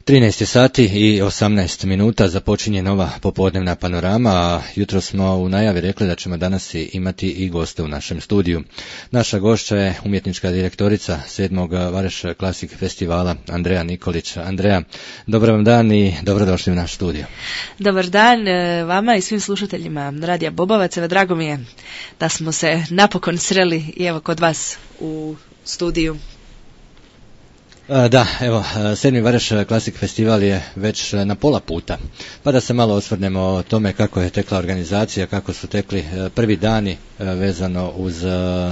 13 sati i 18 minuta započinje nova popodnevna panorama, a jutro smo u najavi rekli da ćemo danas imati i goste u našem studiju. Naša gošća je umjetnička direktorica 7. Vareš Classic festivala Andreja Nikolić. Andreja, dobar vam dan i dobrodošli u naš studio. Dobar dan vama i svim slušateljima Radija Bobovac. Evo, drago mi je da smo se napokon sreli i evo kod vas u studiju. Da, evo, 7. Vareš Classic festival je već na pola puta, pa da se malo osvrnemo o tome kako je tekla organizacija, kako su tekli prvi dani vezano uz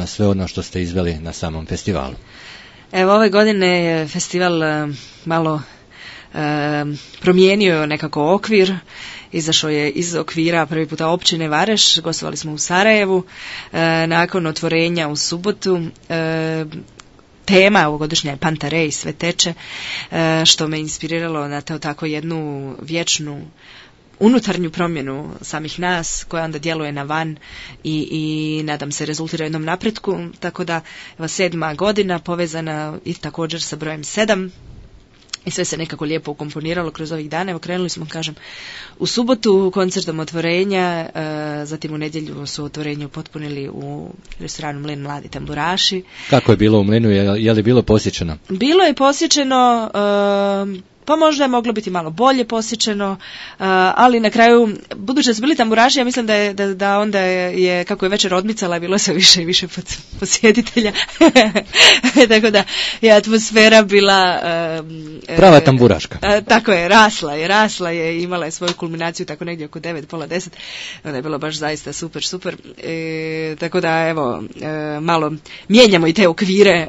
sve ono što ste izveli na samom festivalu. Evo, ove godine je festival malo promijenio nekako okvir, izašao je iz okvira prvi puta općine Vareš, gostovali smo u Sarajevu, nakon otvorenja u subotu. Tema ovogodišnja je Pantarej, sve teče, što me inspiriralo na tako jednu vječnu unutarnju promjenu samih nas, koja onda djeluje na van i nadam se rezultira jednom napretku, tako da 7. godina povezana i također sa brojem 7. I sve se nekako lijepo ukomponiralo kroz ovih dana. Evo, krenuli smo, kažem, u subotu koncertom otvorenja, zatim u nedjelju su otvorenje upotpunili u restoranu Mlin Mladi tamburaši. Kako je bilo u Mlinu? Je li bilo posjećeno? Bilo je posjećeno, pa možda je moglo biti malo bolje posjećeno, ali na kraju, budući da su bili tamburaši, ja mislim da onda je, kako je večer odmicala, bilo se više i više posjetitelja. Tako da je atmosfera bila prava tamburaška. Tako je, rasla je, imala je svoju kulminaciju tako negdje oko 9, pola 10. Onda je bilo baš zaista super. Tako da, evo, malo mijenjamo i te okvire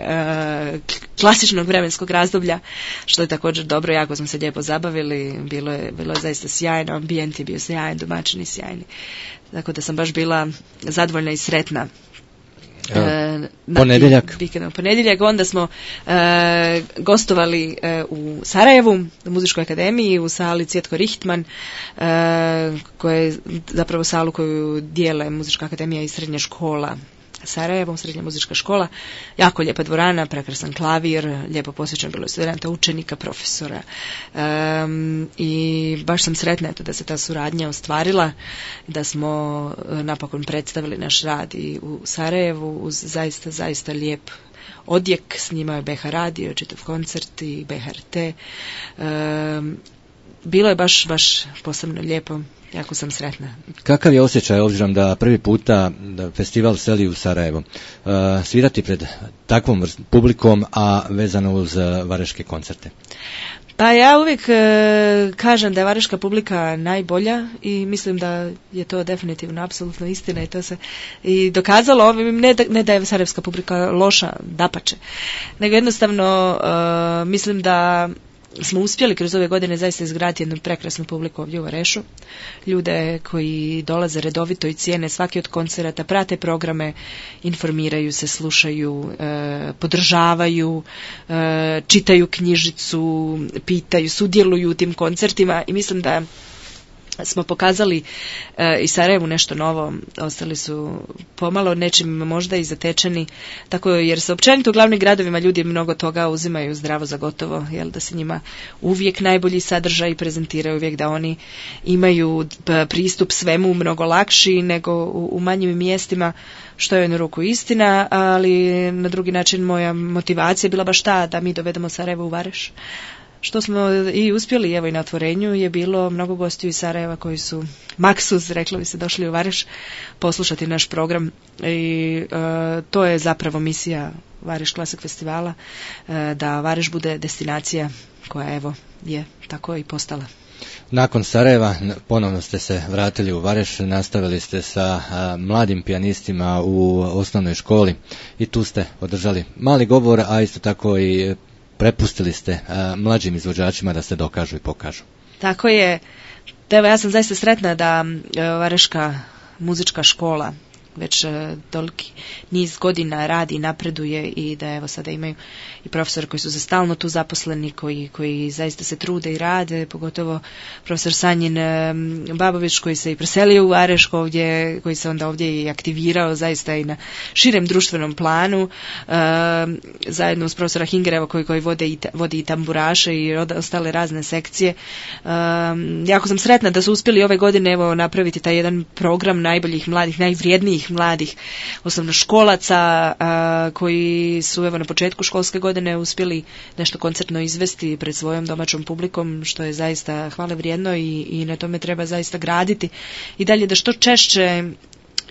klasičnog vremenskog razdoblja, što je također dobro. Jako smo se lijepo zabavili, bilo je zaista sjajno, ambijent je bio sjajan, domaćini sjajni. Tako da sam baš bila zadovoljna i sretna. Ponedjeljak, onda smo gostovali u Sarajevu, u Muzičkoj akademiji, u sali Cvjetko Richtman, koja je zapravo salu koju dijele Muzička akademija i srednja škola Sarajevo, srednja muzička škola. Jako lijepa dvorana, prekrasan klavir, lijepo posjećan bilo studenta, učenika, profesora. I baš sam sretna da se ta suradnja ostvarila, da smo napokon predstavili naš rad i u Sarajevu uz zaista lijep odjek. Snimao je BH radio, čitav koncert i BHRT. Bilo je baš posebno lijepo. Jako sam sretna. Kakav je osjećaj, obzirom da prvi puta festival seli u Sarajevo, svirati pred takvom publikom, a vezano uz vareške koncerte? Pa ja uvijek kažem da je vareška publika najbolja i mislim da je to definitivno apsolutno istina i to se i dokazalo. Ne da je sarajevska publika loša, dapače, nego jednostavno mislim da smo uspjeli kroz ove godine zaista izgraditi jednu prekrasnu publiku ovdje u Varešu. Ljude koji dolaze redovito i cijene svaki od koncerata, prate programe, informiraju se, slušaju, podržavaju, čitaju knjižicu, pitaju, sudjeluju u tim koncertima i mislim da smo pokazali i Sarajevu nešto novo. Ostali su pomalo nečim možda i zatečeni, tako jer se općenito u glavnim gradovima ljudi mnogo toga uzimaju zdravo za gotovo, jel, da se njima uvijek najbolji sadržaj prezentiraju, uvijek da oni imaju pristup svemu mnogo lakši nego u manjim mjestima, što je u jednu ruku istina, ali na drugi način moja motivacija je bila baš ta da mi dovedemo Sarajevo u Vareš. Što smo i uspjeli, evo i na otvorenju je bilo mnogo gostiju iz Sarajeva koji su maksuz, reklo bi se, došli u Vareš poslušati naš program i to je zapravo misija Vareš Classic festivala, da Vareš bude destinacija koja evo je tako i postala. Nakon Sarajeva ponovno ste se vratili u Vareš, nastavili ste sa mladim pijanistima u osnovnoj školi i tu ste održali mali govor, a isto tako i prepustili ste mlađim izvođačima da se dokažu i pokažu. Tako je. Evo, ja sam zaista sretna da Vareška muzička škola već toliki niz godina radi, napreduje i da evo sada imaju i profesori koji su za stalno tu zaposleni, koji zaista se trude i rade, pogotovo profesor Sanjin Babović koji se i preselio u Vareško ovdje, koji se onda ovdje i aktivirao zaista i na širem društvenom planu, zajedno uz profesora Hingereva koji vodi i tamburaše i ostale razne sekcije. Jako sam sretna da su uspjeli ove godine evo napraviti taj jedan program najboljih mladih, najvrijednijih mladih osnovnoškolaca koji su evo na početku školske godine uspjeli nešto koncertno izvesti pred svojom domaćom publikom, što je zaista hvale vrijedno i na tome treba zaista graditi i dalje da što češće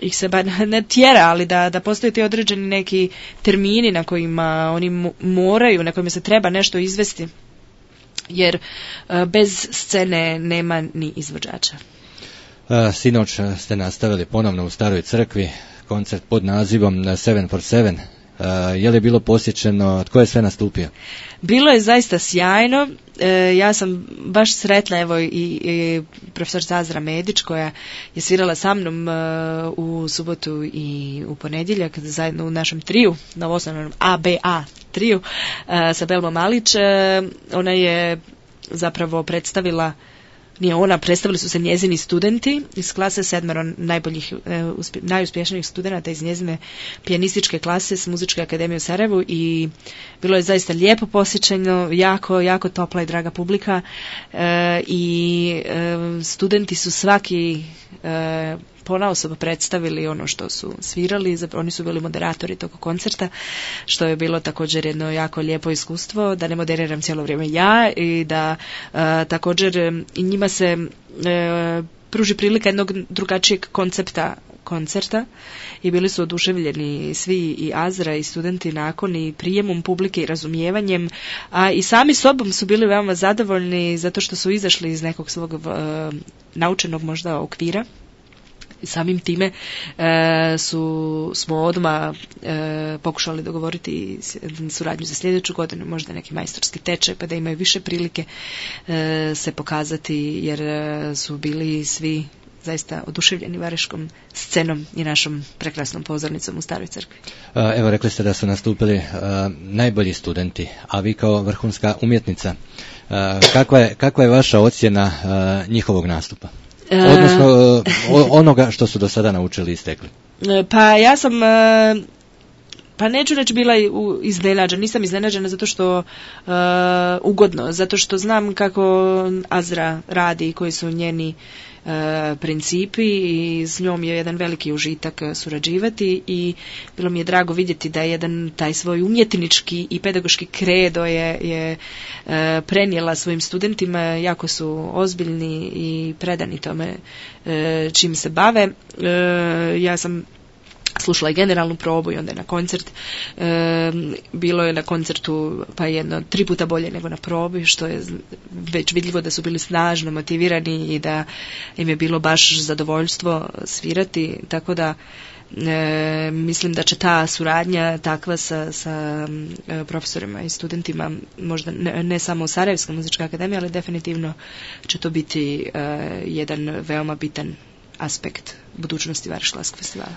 ih se ne tjera, ali da postoje ti određeni neki termini na kojima oni moraju, na kojima se treba nešto izvesti, jer bez scene nema ni izvođača. Sinoć ste nastavili ponovno u Staroj crkvi koncert pod nazivom 7 for 7. Je li bilo posjećeno, tko je sve nastupio? Bilo je zaista sjajno. Ja sam baš sretna, evo i profesor Zazra Medić koja je svirala sa mnom u subotu i u ponedjeljak zajedno u našem triju, novoosnovanom ABA triju sa Belmo Malić. Ona je zapravo predstavila, predstavili su se njezini studenti iz klase 7 najboljih, najuspješnijih studenata iz njezine pijanističke klase s Muzičke akademije u Sarajevu i bilo je zaista lijepo posjećeno, jako topla i draga publika i studenti su svaki ponaosob predstavili ono što su svirali, oni su bili moderatori tog koncerta, što je bilo također jedno jako lijepo iskustvo, da ne moderiram cijelo vrijeme ja i da također i njima se pruži prilika jednog drugačijeg koncerta i bili su oduševljeni svi i Azra i studenti nakon i prijemom publike i razumijevanjem, a i sami sobom su bili veoma zadovoljni zato što su izašli iz nekog svog naučenog možda okvira. I samim time smo odmah pokušali dogovoriti suradnju za sljedeću godinu, možda neki majstorski tečaj, pa da imaju više prilike se pokazati, jer su bili svi zaista oduševljeni vareškom scenom i našom prekrasnom pozornicom u Staroj crkvi. Evo, rekli ste da su nastupili najbolji studenti, a vi kao vrhunska umjetnica, kakva je vaša ocjena njihovog nastupa? Odnosno onoga što su do sada naučili i stekli. Pa ja sam, pa neću reći bila iznenađena, nisam iznenađena zato što ugodno, zato što znam kako Azra radi i koji su njeni principi i s njom je jedan veliki užitak surađivati i bilo mi je drago vidjeti da je jedan taj svoj umjetnički i pedagoški kredo je prenijela svojim studentima, jako su ozbiljni i predani tome čim se bave. Ja sam slušala i generalnu probu i onda je na koncert. Bilo je na koncertu pa 3 puta bolje nego na probi, što je već vidljivo da su bili snažno motivirani i da im je bilo baš zadovoljstvo svirati, tako da mislim da će ta suradnja takva sa profesorima i studentima, možda ne samo u Sarajevskoj muzičkoj akademiji, ali definitivno će to biti jedan veoma bitan aspekt budućnosti Vareškog festivala.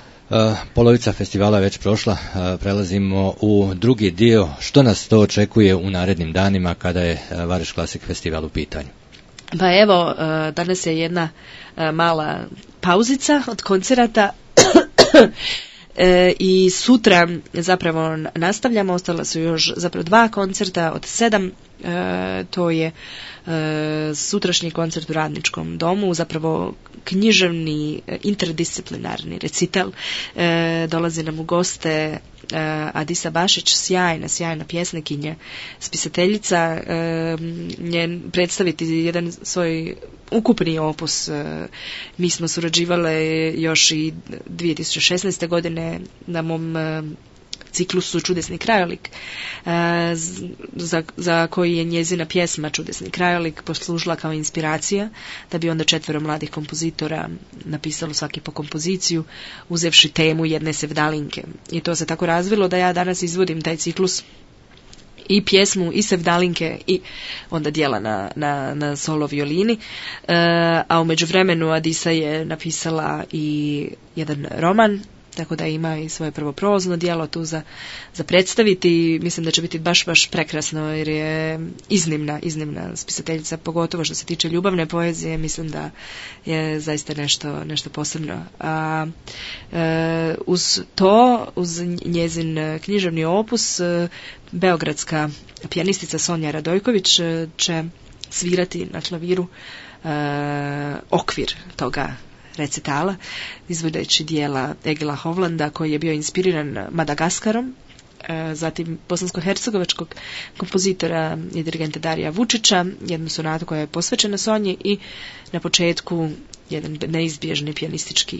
Polovica festivala je već prošla, prelazimo u drugi dio. Što nas to očekuje u narednim danima kada je Vareš Classic festival u pitanju? Pa evo, danas je jedna mala pauzica od koncerata i sutra zapravo nastavljamo, ostala su još zapravo 2 koncerta od 7, to je sutrašnji koncert u Radničkom domu, zapravo književni interdisciplinarni recital, dolazi nam u goste Adisa Bašić, sjajna pjesnikinja, spisateljica, njen predstaviti jedan svoj ukupni opus. Mi smo surađivale još i 2016. godine na mom ciklusu Čudesni krajolik, za koji je njezina pjesma Čudesni krajolik poslužila kao inspiracija, da bi onda 4 mladih kompozitora napisalo svaki po kompoziciju, uzevši temu jedne sevdalinke. I to se tako razvilo da ja danas izvodim taj ciklus i pjesmu i sevdalinke i onda djela na solo violini, a u međuvremenu Adisa je napisala i jedan roman tako da ima i svoje prvo prozno djelo tu za predstaviti i mislim da će biti baš prekrasno jer je iznimna spisateljica, pogotovo što se tiče ljubavne poezije, mislim da je zaista nešto posebno. Uz njezin književni opus, beogradska pijanistica Sonja Radojković će svirati na klaviru okvir toga recitala, izvodeći dijela Egila Hovlanda koji je bio inspiriran Madagaskarom, zatim bosansko-hercegovačkog kompozitora i dirigenta Darija Vučića, jednu sonatu koja je posvećena Sonji i na početku jedan neizbježni pijanistički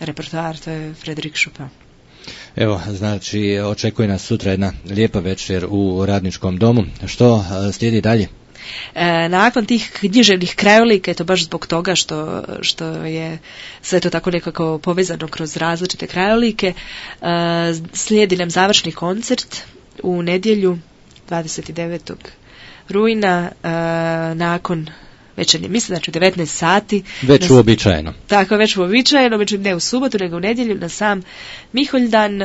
repertoar, to je Frédéric Chopin. Evo, znači, očekuje nas sutra jedna lijepa večer u Radničkom domu. Što slijedi dalje? Nakon tih književnih krajolika, eto baš zbog toga što je sve to tako nekako povezano kroz različite krajolike, slijedi nam završni koncert u nedjelju 29. rujna nakon večernje mise, znači u 19 sati. Već uobičajeno. Tako, već uobičajeno, međutim ne u subotu, nego u nedjelju na sam Miholjdan,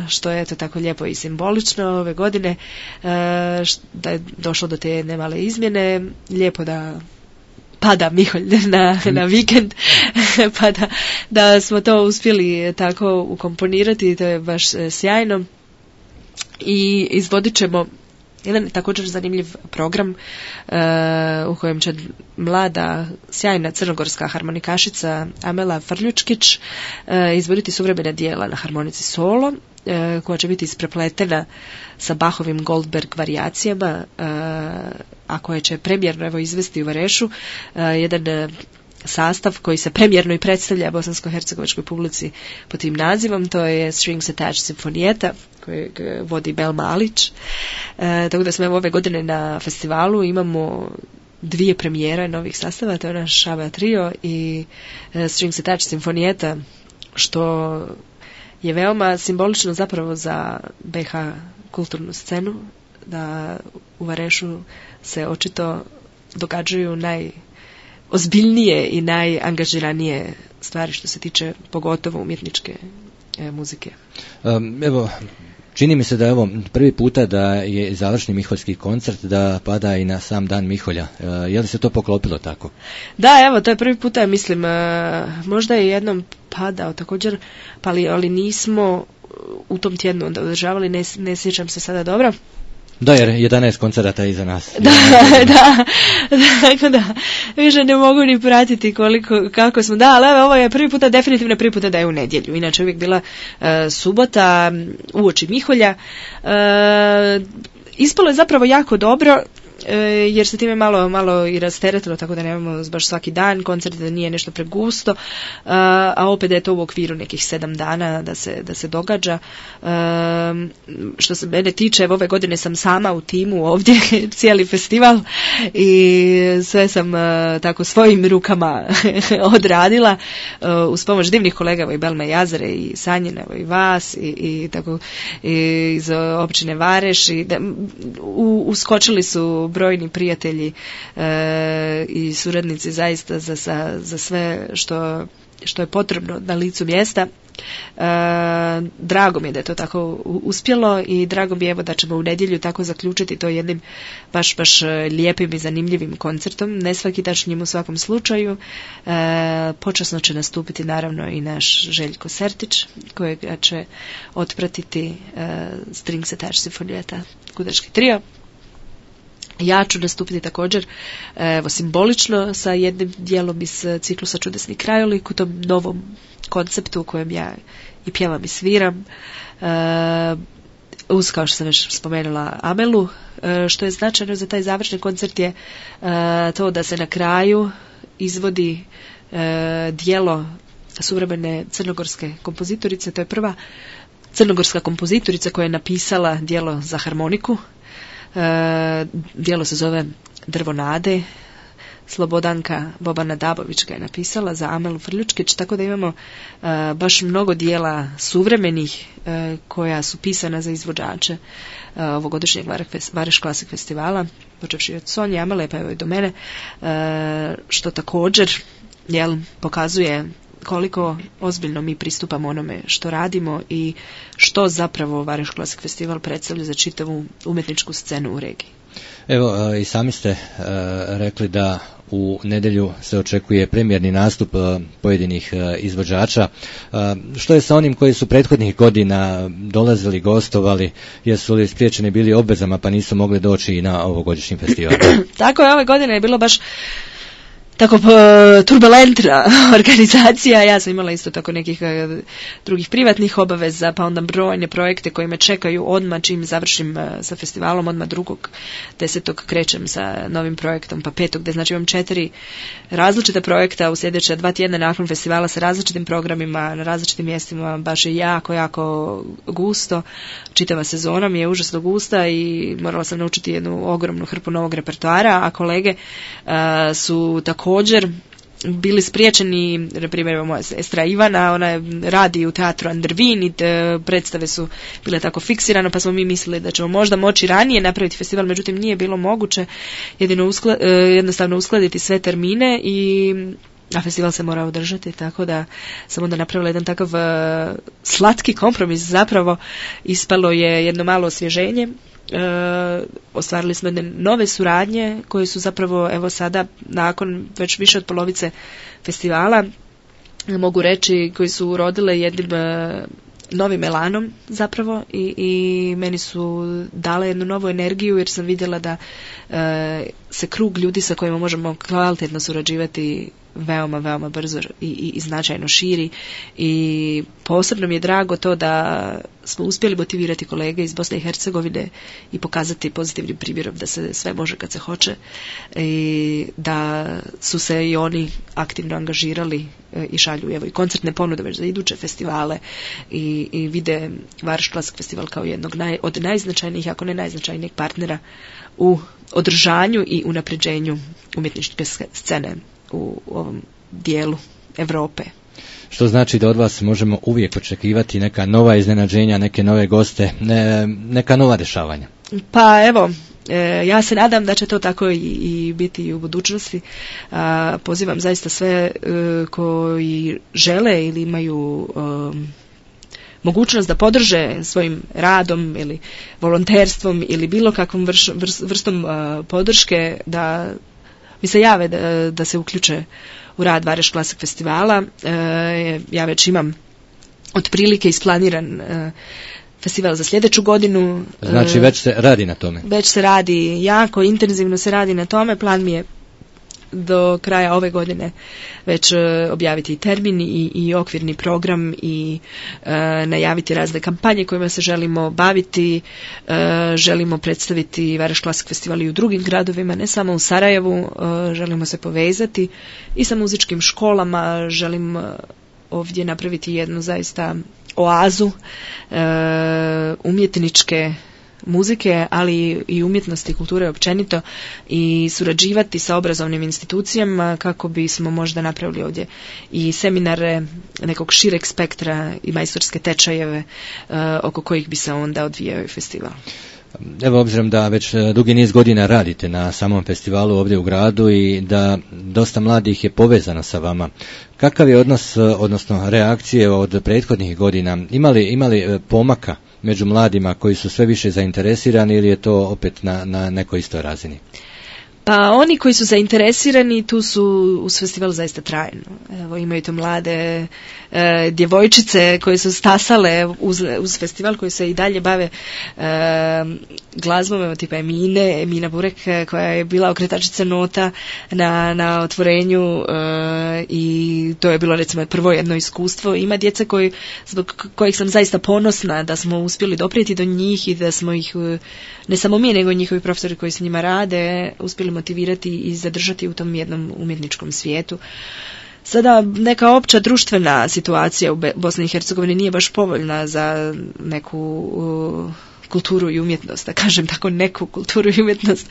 što je to tako lijepo i simbolično ove godine, da je došlo do te jedne male izmjene, lijepo da pada Miholj na vikend, pa da smo to uspjeli tako ukomponirati, to je baš sjajno. I izvodit ćemo jedan također zanimljiv program u kojem će mlada, sjajna crnogorska harmonikašica Amela Frljučkić izvoditi suvremena dijela na harmonici solo, koja će biti isprepletena sa Bachovim Goldberg varijacijama, a koje će premijerno evo izvesti u Varešu jedan sastav koji se premijerno i predstavlja bosansko-hercegovačkoj publici pod tim nazivom, to je Strings Attached Simfonijeta kojeg vodi Bel Malić. Tako da smo ove godine na festivalu imamo 2 premijere novih sastava, to je naš Šaba trio i Strings Attached Simfonijeta, što je veoma simbolično zapravo za BH kulturnu scenu, da u Varešu se očito događaju ozbiljnije i najangažiranije stvari što se tiče pogotovo umjetničke muzike. Evo, čini mi se da je ovo prvi puta da je završni miholjski koncert da pada i na sam dan Miholja. Je li se to poklopilo tako? Da, evo, to je prvi puta, mislim, možda je jednom padao također, ali nismo u tom tjednu onda održavali, ne sjećam se sada dobro. Da, jer 11 koncerata iza nas. Da, više ne mogu ni pratiti kako smo, ali ovo je definitivno prvi puta da je u nedjelju, inače uvijek bila subota uoči Miholja. Ispalo je zapravo jako dobro, jer se time malo i rasteretilo, tako da nemamo baš svaki dan koncert, da nije nešto pregusto, a opet da je to u okviru nekih 7 dana da se događa. Što se mene tiče, ove godine sam sama u timu ovdje cijeli festival i sve sam tako svojim rukama odradila uz pomoć divnih kolega i Belme Jazare i Sanjina i vas i tako iz općine Vareš i uskočili su brojni prijatelji i suradnici zaista za sve što je potrebno na licu mjesta. Drago mi je da je to tako uspjelo i drago mi je evo da ćemo u nedjelju tako zaključiti to jednim baš lijepim i zanimljivim koncertom, nesvakidašnjim u svakom slučaju. Počasno će nastupiti naravno i naš Željko Sertić, kojega će otpratiti Strings Attached Simfonijeta, gudački trio. Ja ću nastupiti također simbolično sa jednim dijelom iz ciklusa Čudesni krajolik u tom novom konceptu u kojem ja i pjevam i sviram. Uz, kao što sam već spomenula, Amelu. Što je značajno za taj završni koncert je to da se na kraju izvodi dijelo suvremene crnogorske kompozitorice. To je prva crnogorska kompozitorica koja je napisala dijelo za harmoniku. Dijelo se zove Drvo nade. Slobodanka Bobana Dabović ga je napisala za Amelu Frljučkić, tako da imamo baš mnogo dijela suvremenih koja su pisana za izvođače ovogodišnjeg Vareš Klasik festivala, počevši od Sonje Amele pa evo i do mene, što također pokazuje koliko ozbiljno mi pristupamo onome što radimo i što zapravo Varaždin Classic Festival predstavlja za čitavu umjetničku scenu u regiji. Evo, i sami ste rekli da u nedjelju se očekuje premijerni nastup pojedinih izvođača. Što je sa onim koji su prethodnih godina dolazili, gostovali, jesu li spriječeni bili obvezama pa nisu mogli doći i na ovogodišnji festival? Tako je, ove godine je bilo baš tako turbulentna organizacija. Ja sam imala isto tako nekih drugih privatnih obaveza, pa onda brojne projekte koji me čekaju odmah čim završim sa festivalom, odmah 2.10. krećem sa novim projektom, pa 5. gdje znači imam 4 različita projekta u sljedeća 2 tjedna nakon festivala sa različitim programima na različitim mjestima, baš je jako gusto. Čitava sezona mi je užasno gusta i morala sam naučiti jednu ogromnu hrpu novog repertoara, a kolege su također bili spriječeni, na primjer moja sestra Ivana, ona radi u teatru Andervin i predstave su bile tako fiksirane, pa smo mi mislili da ćemo možda moći ranije napraviti festival, međutim nije bilo moguće jednostavno uskladiti sve termine a festival se mora održati, tako da sam onda napravila jedan takav slatki kompromis, zapravo ispalo je jedno malo osvježenje. Ostvarili smo jedne nove suradnje koje su zapravo evo sada nakon već više od polovice festivala mogu reći koji su urodile jednim novim elanom zapravo i meni su dale jednu novu energiju jer sam vidjela da se krug ljudi sa kojima možemo kvalitetno surađivati veoma brzo i značajno širi i posebno mi je drago to da smo uspjeli motivirati kolege iz Bosne i Hercegovine i pokazati pozitivnim primjerom da se sve može kad se hoće i da su se i oni aktivno angažirali i šalju evo i koncertne ponude već za iduće festivale i vide Varaždin Classic Festival kao jednog od najznačajnijih, ako ne najznačajnijeg partnera u održanju i unapređenju umjetničke scene u ovom dijelu Europe. Što znači da od vas možemo uvijek očekivati neka nova iznenađenja, neke nove goste, neka nova dešavanja? Pa evo, ja se nadam da će to tako i biti u budućnosti. Pozivam zaista sve koji žele ili imaju mogućnost da podrže svojim radom ili volonterstvom ili bilo kakvom vrstom podrške da mi se jave da se uključe u rad Varaždin Classic Festivala. Ja već imam otprilike isplaniran festival za sljedeću godinu. Znači već se radi na tome? Već se radi, jako intenzivno se radi na tome. Plan mi je do kraja ove godine već objaviti i termin i okvirni program i najaviti razne kampanje kojima se želimo baviti. Želimo predstaviti Varaždin Classic Festival i u drugim gradovima, ne samo u Sarajevu. Želimo se povezati i sa muzičkim školama. Želim ovdje napraviti jednu zaista oazu umjetničke muzike, ali i umjetnosti i kulture općenito i surađivati sa obrazovnim institucijama kako bismo možda napravili ovdje i seminare nekog šireg spektra i majstorske tečajeve oko kojih bi se onda odvijao festival. Evo, obzirom da već dugi niz godina radite na samom festivalu ovdje u gradu i da dosta mladih je povezano sa vama, kakav je odnos, odnosno reakcije od prethodnih godina? Imali pomaka među mladima koji su sve više zainteresirani ili je to opet na nekoj istoj razini? Pa oni koji su zainteresirani tu su uz festival zaista trajno. Evo, imaju to mlade djevojčice koje su stasale uz festival, koji se i dalje bave glazbom, evo tipa Emina Burek koja je bila okretačica nota na otvorenju i to je bilo recimo prvo jedno iskustvo. Ima djece zbog kojih sam zaista ponosna da smo uspjeli doprijeti do njih i da smo ih, ne samo mi nego i njihovi profesori koji s njima rade, uspjeli motivirati i zadržati u tom jednom umjetničkom svijetu. Sada neka opća društvena situacija u Bosni i Hercegovini nije baš povoljna za neku kulturu i umjetnost, da kažem tako neku kulturu i umjetnost.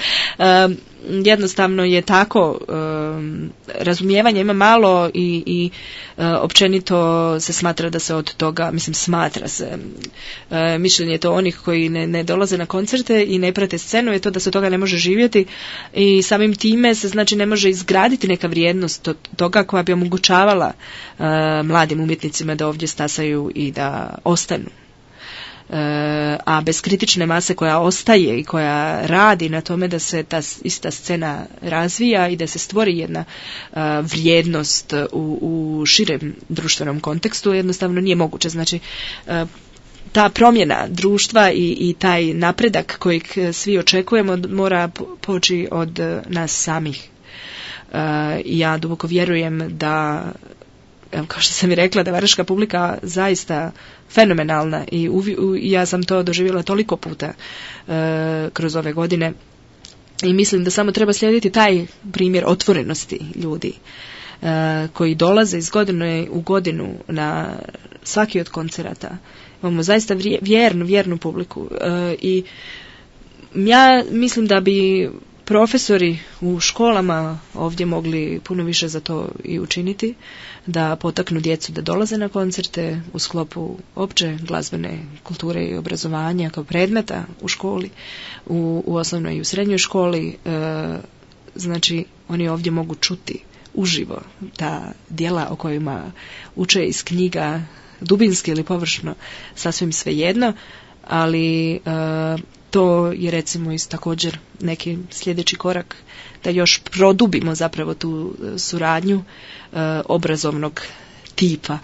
Jednostavno je tako razumijevanja ima malo i općenito se smatra da se od toga, smatra se, mišljenje je to onih koji ne dolaze na koncerte i ne prate scenu je to da se od toga ne može živjeti i samim time se znači ne može izgraditi neka vrijednost od toga koja bi omogućavala mladim umjetnicima da ovdje stasaju i da ostanu. A bez kritične mase koja ostaje i koja radi na tome da se ta ista scena razvija i da se stvori jedna vrijednost u širem društvenom kontekstu, jednostavno nije moguće. Znači, ta promjena društva i taj napredak kojeg svi očekujemo mora poći od nas samih. I ja duboko vjerujem da, kao što sam i rekla, da Varaždinska publika zaista fenomenalna i ja sam to doživjela toliko puta kroz ove godine i mislim da samo treba slijediti taj primjer otvorenosti ljudi koji dolaze iz godine u godinu na svaki od koncerata. Imamo zaista vjernu publiku i ja mislim da bi profesori u školama ovdje mogli puno više za to i učiniti, da potaknu djecu da dolaze na koncerte u sklopu opće glazbene kulture i obrazovanja kao predmeta u školi, u osnovnoj i u srednjoj školi. Znači, oni ovdje mogu čuti uživo ta djela o kojima uče iz knjiga, dubinski ili površno, sasvim svejedno, ali to je recimo također neki sljedeći korak da još produbimo zapravo tu suradnju obrazovnog tipa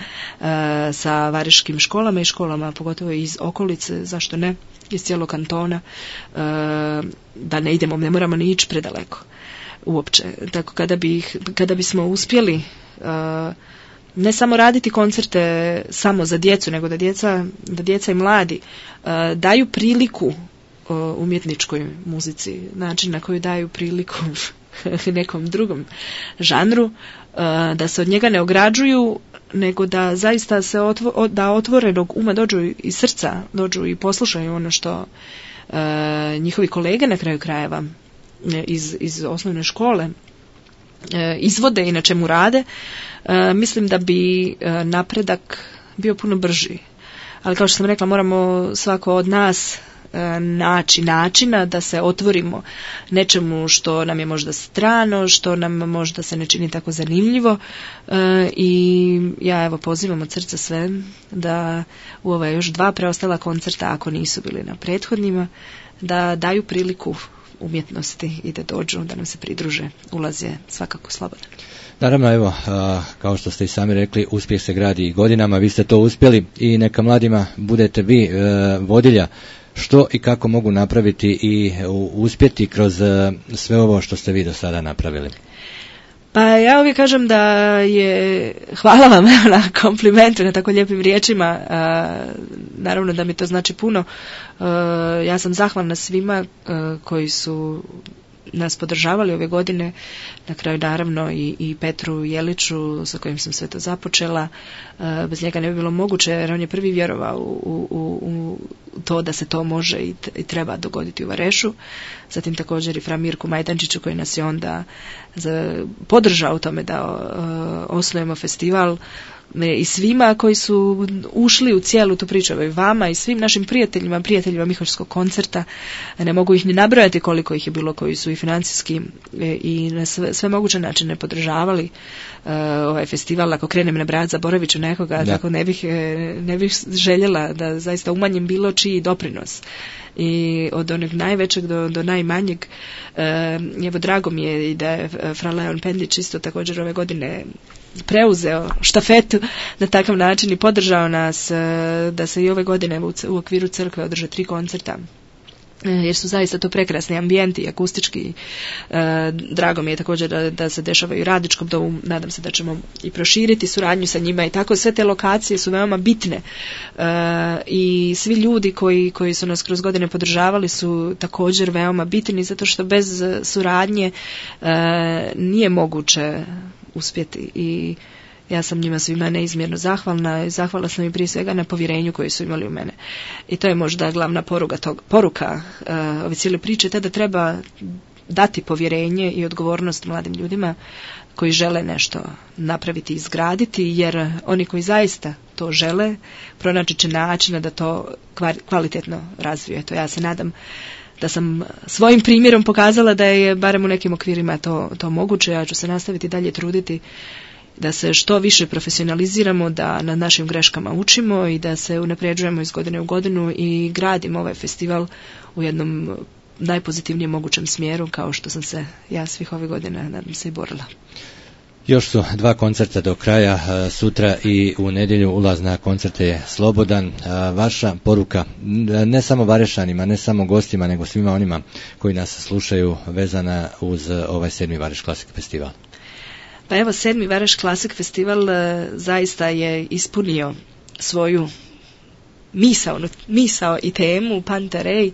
sa varaždinskim školama i školama pogotovo iz okolice, zašto ne, iz cijelog kantona, da ne moramo ni ići predaleko uopće. Tako kada bismo uspjeli ne samo raditi koncerte samo za djecu, nego da djeca i mladi daju priliku umjetničkoj muzici, način na koji daju priliku nekom drugom žanru, da se od njega ne ograđuju, nego da zaista se da otvorenog uma dođu i srca, dođu i poslušaju ono što njihovi kolege na kraju krajeva iz osnovne škole izvode i na čemu rade, mislim da bi napredak bio puno brži. Ali kao što sam rekla, moramo svako od nas naći načina da se otvorimo nečemu što nam je možda strano, što nam možda se ne čini tako zanimljivo, i ja pozivam od srca sve da u ova još 2 preostala koncerta, ako nisu bili na prethodnima, da daju priliku umjetnosti i da dođu, da nam se pridruže. Ulaz je svakako slobodan. Naravno, kao što ste i sami rekli, uspjeh se gradi godinama, vi ste to uspjeli i neka mladima budete vi vodilja što i kako mogu napraviti i uspjeti kroz sve ovo što ste vi do sada napravili. Pa ja uvijek kažem da hvala vam na komplimentu, na tako lijepim riječima, naravno da mi to znači puno. Ja sam zahvalna svima koji su nas podržavali ove godine, na kraju naravno i Petru Jeliću sa kojim sam sve to započela. Bez njega ne bi bilo moguće, jer on je prvi vjerovao u to da se to može i treba dogoditi u Varešu. Zatim također i fra Mirku Majdančiću koji nas je onda podržao u tome da osnujemo festival, i svima koji su ušli u cijelu tu priču, i vama i svim našim prijateljima Miholjskog koncerta. Ne mogu ih ni nabrojati koliko ih je bilo koji su i financijski i na sve moguće načine podržavali ovaj festival. Ako krenem nabrajati, zaboravit ću nekoga, tako ne bih željela da zaista umanjim bilo čiji doprinos. I od onog najvećeg do najmanjeg. Evo, drago mi je i da je fra Leon Pendić isto također ove godine preuzeo štafetu na takav način i podržao nas da se i ove godine u okviru crkve održe 3 koncerta. Jer su zaista to prekrasni ambijenti, akustički. Drago mi je također da se dešava i u Radničkom domu, nadam se da ćemo i proširiti suradnju sa njima i tako. Sve te lokacije su veoma bitne i svi ljudi koji su nas kroz godine podržavali su također veoma bitni, zato što bez suradnje nije moguće uspjeti. I ja sam njima svima neizmjerno zahvalna i zahvalna sam im prije svega na povjerenju koje su imali u mene. I to je možda glavna poruka ove cijele priče, te da treba dati povjerenje i odgovornost mladim ljudima koji žele nešto napraviti i izgraditi, jer oni koji zaista to žele, pronaći će načina da to kvalitetno razvije. To ja se nadam da sam svojim primjerom pokazala da je barem u nekim okvirima to moguće. Ja ću se nastaviti dalje truditi da se što više profesionaliziramo, da na našim greškama učimo i da se unapređujemo iz godine u godinu i gradimo ovaj festival u jednom najpozitivnijem mogućem smjeru, kao što sam se ja svih ovih godina, nadam se, i borila. Još su 2 koncerta do kraja, sutra i u nedjelju. Ulaz na koncerte je slobodan. Vaša poruka, ne samo Varešanima, ne samo gostima, nego svima onima koji nas slušaju, vezana uz ovaj 7. Vareš Classic Festival? Pa evo, 7. Vareš Classic Festival zaista je ispunio svoju misao i temu Pantarej,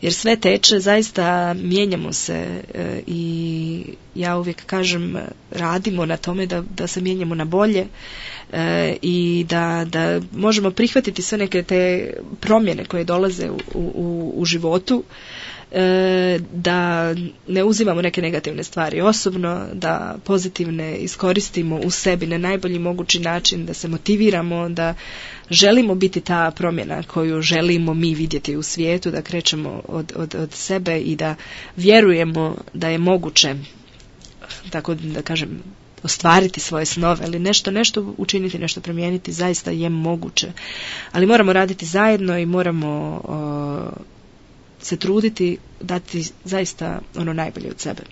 jer sve teče, zaista mijenjamo se i ja uvijek kažem, radimo na tome da se mijenjamo na bolje i da možemo prihvatiti sve neke te promjene koje dolaze u životu, da ne uzimamo neke negativne stvari osobno, da pozitivne iskoristimo u sebi na najbolji mogući način, da se motiviramo, da želimo biti ta promjena koju želimo mi vidjeti u svijetu, da krećemo od sebe i da vjerujemo da je moguće, tako da kažem, ostvariti svoje snove, ali nešto učiniti, nešto promijeniti, zaista je moguće. Ali moramo raditi zajedno i moramo se truditi, dati zaista ono najbolje od sebe.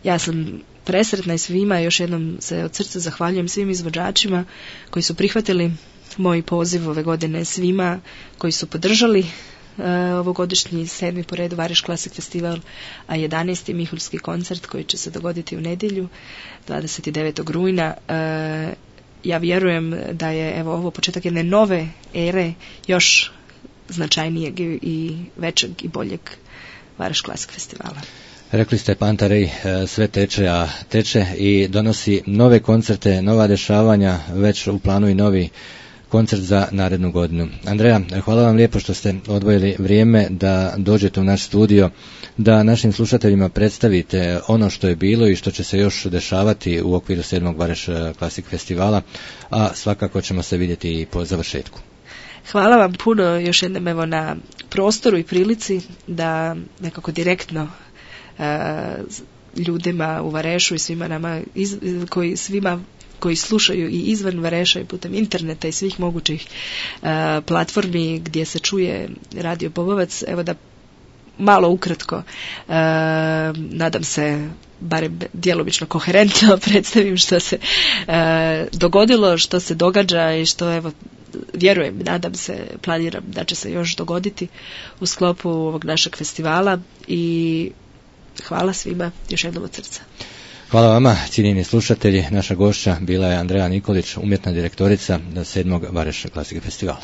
Ja sam presretna i svima, još jednom se od srca zahvaljujem svim izvođačima koji su prihvatili moj poziv ove godine, svima koji su podržali ovogodišnji 7. po redu Vareš Classic Festival, a 11. Mihuljski koncert koji će se dogoditi u nedjelju 29. rujna. Ja vjerujem da je ovo početak jedne nove ere, još značajnijeg i većeg i boljeg Vareš Classic Festivala. Rekli ste, Pantarej sve teče, a teče i donosi nove koncerte, nova dešavanja, već u planu i novi koncert za narednu godinu. Andreja, hvala vam lijepo što ste odvojili vrijeme da dođete u naš studio, da našim slušateljima predstavite ono što je bilo i što će se još dešavati u okviru 7. Vareš Classic Festivala, a svakako ćemo se vidjeti i po završetku. Hvala vam puno još jednom na prostoru i prilici da nekako direktno ljudima u Varešu i svima nama koji slušaju i izvan Vareša i putem interneta i svih mogućih platformi gdje se čuje Radio Popovac, evo da malo ukratko, nadam se barem djelomično koherentno predstavim što se dogodilo, što se događa i što evo vjerujem, nadam se, planiram da će se još dogoditi u sklopu ovog našeg festivala i hvala svima još jednom od srca. Hvala vama, cijenjeni slušatelji. Naša gošća bila je Andreja Nikolić, umjetna direktorica 7. Vareš Classic Festivala.